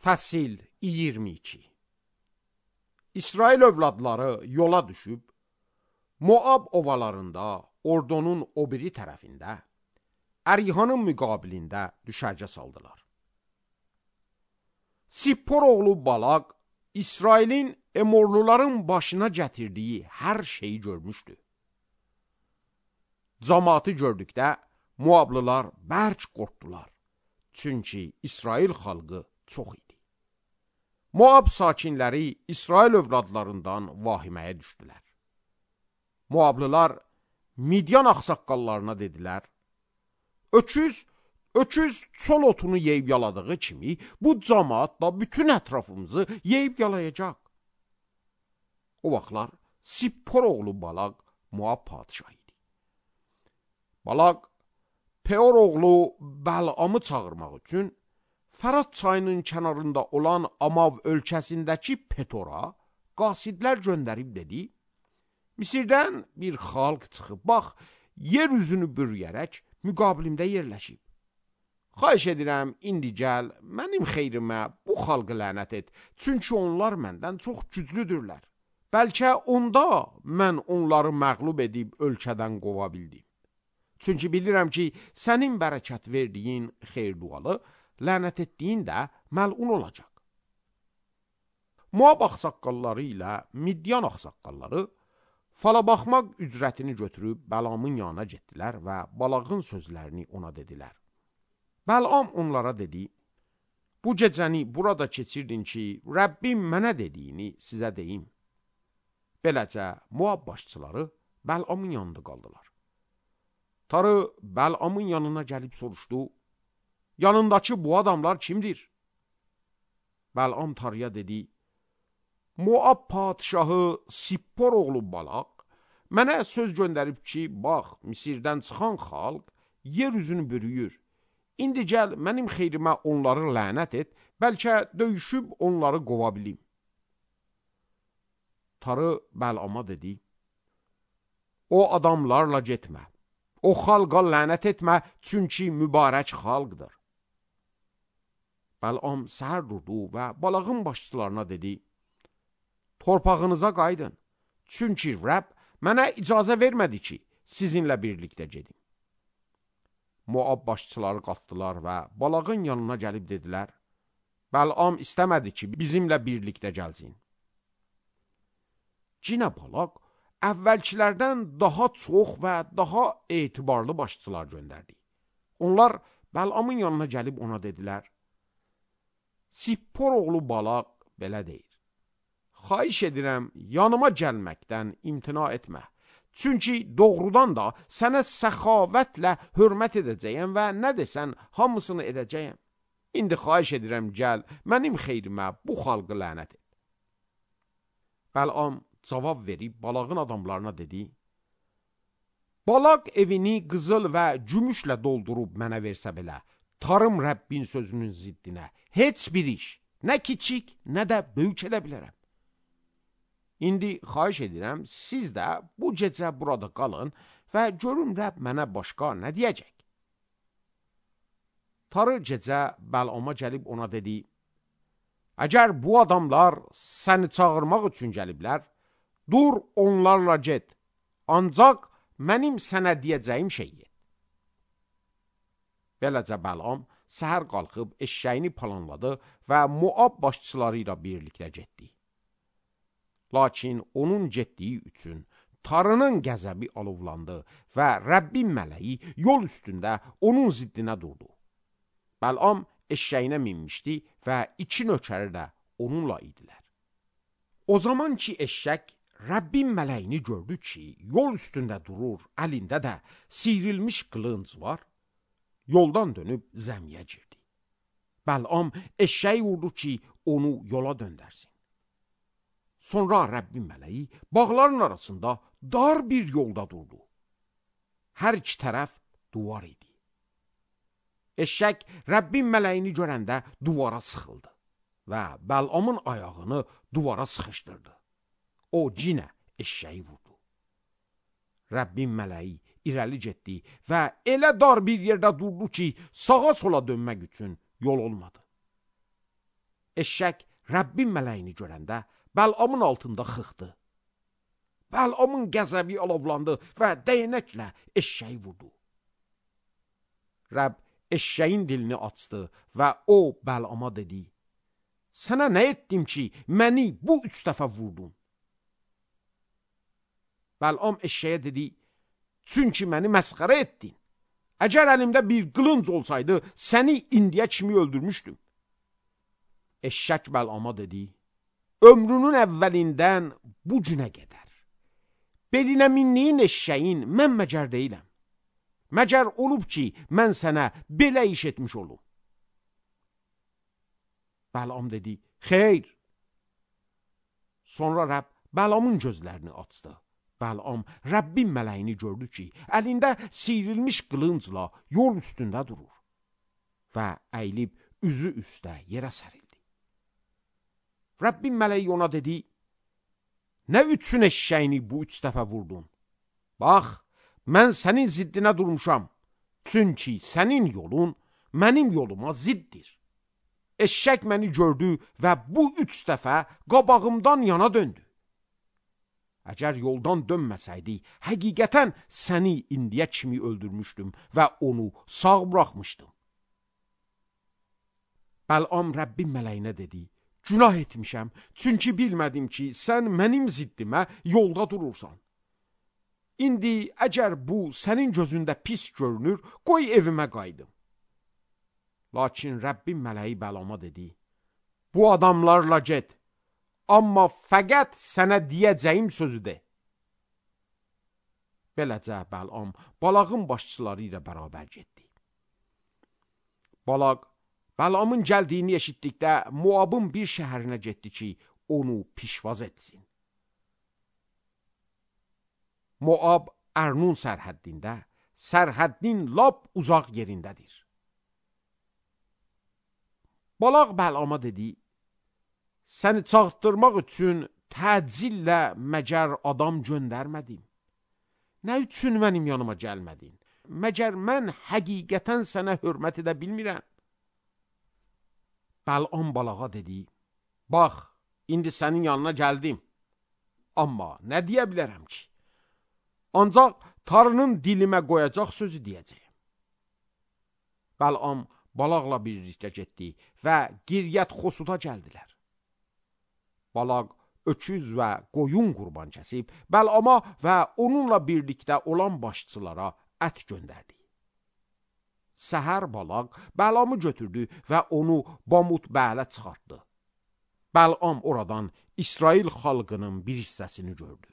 Fəsil 22. İsrail övladları yola düşüb, Moab ovalarında, ordunun o biri tərəfində, Ərihanın müqabilində düşərgə saldılar. Sippor oğlu Balaq, İsrailin Emorluların başına gətirdiyi hər şeyi görmüşdü. Cəmaatı gördükdə Moablılar bərk qorxdular, çünki İsrail xalqı çox idi. Moab sakinləri İsrail övladlarından vahiməyə düşdülər. Moablılar Midyan ağsaqqallarına dedilər, Öküz çol otunu yeyib yaladığı kimi, bu cəmaat da bütün ətrafımızı yeyib yalayacaq. O vaxtlar Sippor oğlu Balaq Moab padişahı idi. Balaq Peor oğlu Bəlamı çağırmaq üçün Fərat çayının kənarında olan Amav ölkəsindəki Petora qasidlər göndərib dedi, Misirdən bir xalq çıxıb, bax, yer üzünü bürüyərək müqabilimdə yerləşib. Xahiş edirəm, indi gəl, mənim xeyrimə bu xalqı lənət et, çünki onlar məndən çox güclüdürlər. Bəlkə onda mən onları məğlub edib ölkədən qova bildim. Çünki bilirəm ki, sənin bərəkət verdiyin xeyr-dualı, lənət etdiyin də məlun olacaq. Moab ağsaqqalları ilə Midyan ağsaqqalları fala baxmaq ücrətini götürüb Bəlamın yanına getdilər və Balağın sözlərini ona dedilər. Bəlam onlara dedi, bu gecəni burada keçirdin ki, Rəbbim mənə dediyini sizə deyim. Beləcə Moab başçıları Bəlamın yanında qaldılar. Tarı Bəlamın yanına gəlib soruşdu, yanındakı bu adamlar kimdir? Bəlam Tarıya dedi, Moab padişahı Sippor oğlu Balaq mənə söz göndərib ki, bax, Misirdən çıxan xalq yer üzünü bürüyür. İndi gəl, mənim xeyrimə onları lənət et, bəlkə döyüşüb onları qova bilim. Tarı Bəlama dedi, o adamlarla getmə, o xalqa lənət etmə, çünki mübarək xalqdır. Bəlam səhər durdu və Balağın başçılarına dedi, torpağınıza qaydın, çünki Rəbb mənə icazə vermədi ki, sizinlə birlikdə gedim. Moab başçıları qalxdılar və Balağın yanına gəlib dedilər, Bəlam istəmədi ki, bizimlə birlikdə gəlsin. Cinə Balaq əvvəlkilərdən daha çox və daha etibarlı başçılar göndərdi. Onlar Bəlamın yanına gəlib ona dedilər, Sippor oğlu Balaq belə deyir, xahiş edirəm, yanıma gəlməkdən imtina etmə. Çünki doğrudan da sənə səxavətlə hörmət edəcəyəm və nə desən hamısını edəcəyəm. İndi xahiş edirəm, gəl, mənim xeyrimə bu xalqı lənət et. Bəlam cavab verib Balağın adamlarına dedi, Balaq evini qızıl və gümüşlə doldurub mənə versə belə, tarım Rəbbin sözünün ziddinə, heç bir iş, nə kiçik, nə də böyük edə bilərəm. İndi xahiş edirəm, siz də bu gecə burada qalın və görün Rəbb mənə başqa nə deyəcək. Tarı gecə Bəlama gəlib ona dedi, əgər bu adamlar səni çağırmaq üçün gəliblər, dur onlarla get, ancaq mənim sənə deyəcəyim şeyi et. Beləcə Bəlam səhər qalxıb eşşəyini planladı və Moab başçıları ilə birlikdə getdi. Lakin onun getdiyi üçün Tarının qəzəbi alovlandı və Rəbbin mələyi yol üstündə onun ziddinə durdu. Bəlam eşşəyinə minmişdi və 2 nökəri də onunla idilər. O zaman ki eşşək Rəbbin mələyini gördü ki, yol üstündə durur, əlində də siyrilmiş qılınc var, yoldan dönüb zəmiyə girdi. Bəlam eşşəyi vurdu ki, onu yola döndərsin. Sonra Rəbbin mələyi bağların arasında dar bir yolda durdu. Hər iki tərəf duvar idi. Eşşək Rəbbin mələyini görəndə duvara sıxıldı və Bəlamın ayağını duvara sıxışdırdı. O cinə eşşəyi vurdu. Rəbbin mələyi irəli getdi və elə dar bir yerdə durdu ki, sağa sola dönmək üçün yol olmadı. Eşşək Rəbbin mələyini görəndə Bəlamın altında xıxdı. Bəlamın qəzəbi alovlandı və dəyənəklə eşşəyi vurdu. Rəbb eşşəyin dilini açdı və o Bəlama dedi: Sənə nə etdim ki, məni bu 3 dəfə vurdun? Bəlam eşşəyə dedi: Çünki məni məsxərə etdin. Əgər əlimdə bir qılınc olsaydı, səni indiyə kimi öldürmüşdüm. Eşşək Bəlama dedi: Ömrünün əvvəlindən bu günə qədər belinə mindiyin eşşəyin mən məcər deyiləm. Məcər olub ki, mən sənə belə iş etmiş olum. Bəlam dedi: Xeyr. Sonra Rəbb Bəlamın gözlərini açdı. Bəlam Rəbbin mələyini gördü ki, əlində siyrilmiş qılıncla yol üstündə durur və əyilib üzü üstə yerə sərildi. Rəbbin mələyi ona dedi: Nə üçün eşşəyini bu 3 dəfə vurdun? Bax, mən sənin ziddinə durmuşam, çünki sənin yolun mənim yoluma ziddir. Eşşək məni gördü və bu 3 dəfə qabağımdan yana döndü. Əgər yoldan dönməsəydi, həqiqətən səni indiyə kimi öldürmüşdüm və onu sağ buraxmışdım. Bəlam Rəbbin mələyinə dedi: Günah etmişəm, çünki bilmədim ki, sən mənim ziddimə yolda durursan. İndi əgər bu sənin gözündə pis görünür, qoy evimə qayıdım. Lakin Rəbbin mələyi Bəlama dedi: Bu adamlarla get, amma fəqət sənə deyəcəyim sözü de. Beləcə Bəlam balağın başçıları ilə bərabər getdi. Balaq Bəlamın gəldiyini eşitdikdə Moabın bir şəhərinə getdi ki, onu pişvaz etsin. Moab Ərnun sərhəddində, sərhəddin lap uzaq yerindədir. Balaq Bəlama dedi: Səni çağırtdırmaq üçün təcillə məgər adam göndərmədim? Nə üçün mənim yanıma gəlmədin? Məgər mən həqiqətən sənə hörmət edə bilmirəm? Bəlam balağa dedi: Bax, indi sənin yanına gəldim. Amma nə deyə bilərəm ki? Ancaq tarının dilimə qoyacaq sözü deyəcəyim. Bəlam balaqla birlikdə getdi və Qiryət Xosuda gəldilər. Balaq öküz və qoyun qurban kəsib, Bəlama və onunla birlikdə olan başçılara ət göndərdi. Səhər balaq Bəlamı götürdü və onu Bamut Bələ çıxartdı. Bəlam oradan İsrail xalqının bir hissəsini gördü.